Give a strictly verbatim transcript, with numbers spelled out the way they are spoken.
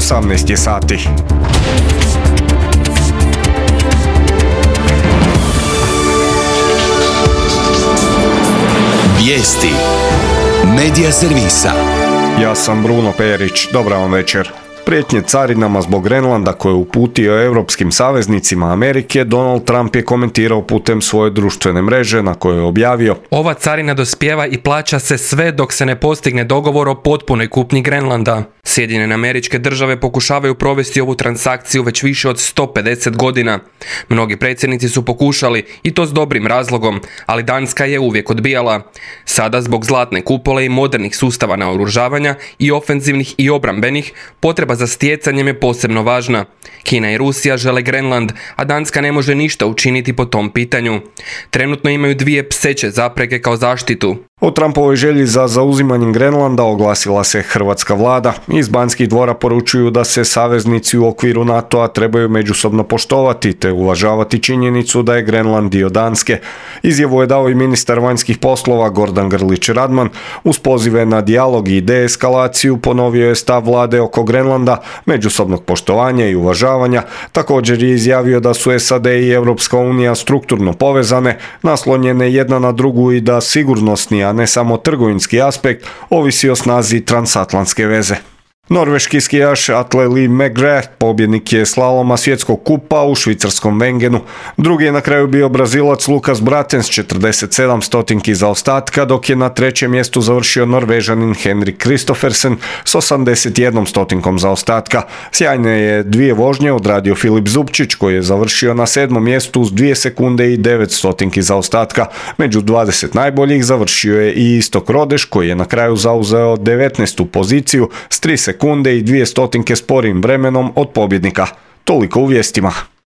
osamnaest je sati. Vijesti Medija servisa. Ja sam Bruno Perić, dobra vam večer. Prijetnje carinama zbog Grenlanda koje je uputio europskim saveznicima Amerike, Donald Trump je komentirao putem svoje društvene mreže na kojoj je objavio: Ova carina dospijeva i plaća se sve dok se ne postigne dogovor o potpunoj kupnji Grenlanda. Sjedinjene Američke Države pokušavaju provesti ovu transakciju već više od sto pedeset godina. Mnogi predsjednici su pokušali, i to s dobrim razlogom, ali Danska je uvijek odbijala. Sada zbog zlatne kupole i modernih sustava naoružavanja i ofenzivnih i obrambenih, potreba za stjecanjem je posebno važna. Kina i Rusija žele Grenland, a Danska ne može ništa učiniti po tom pitanju. Trenutno imaju dvije pseće zapreke kao zaštitu. O Trumpovoj želji za zauzimanjem Grenlanda oglasila se hrvatska vlada. Iz Banskih dvora poručuju da se saveznici u okviru NATO-a trebaju međusobno poštovati te uvažavati činjenicu da je Grenland dio Danske. Izjavu je dao i ministar vanjskih poslova Gordan Grlić Radman. Uz pozive na dijalog i deeskalaciju ponovio je stav vlade oko Grenlanda, međusobnog poštovanja i uvažavanja. Također je izjavio da su S A D i Europska unija strukturno povezane, naslonjene jedna na drugu i da sigurnosni, a ne samo trgovinski aspekt, ovisi o snazi transatlantske veze. Norveški skijaš Atle Lee McGrath pobjednik je slaloma svjetskog kupa u švicarskom Wengenu. Drugi je na kraju bio Brazilac Lukas Bratens četrdeset sedam stotinki zaostatka, dok je na trećem mjestu završio Norvežanin Henrik Kristoffersen s osamdeset jednom stotinkom zaostatka. Sjajne je dvije vožnje odradio Filip Zubčić koji je završio na sedmom mjestu s dvije sekunde i devet stotinki zaostatka. Među dvadeset najboljih završio je i Istok Rodeš koji je na kraju zauzeo devetnaestu poziciju s tri sekunde i dvije stotinke sporim vremenom od pobjednika. Toliko u vijestima.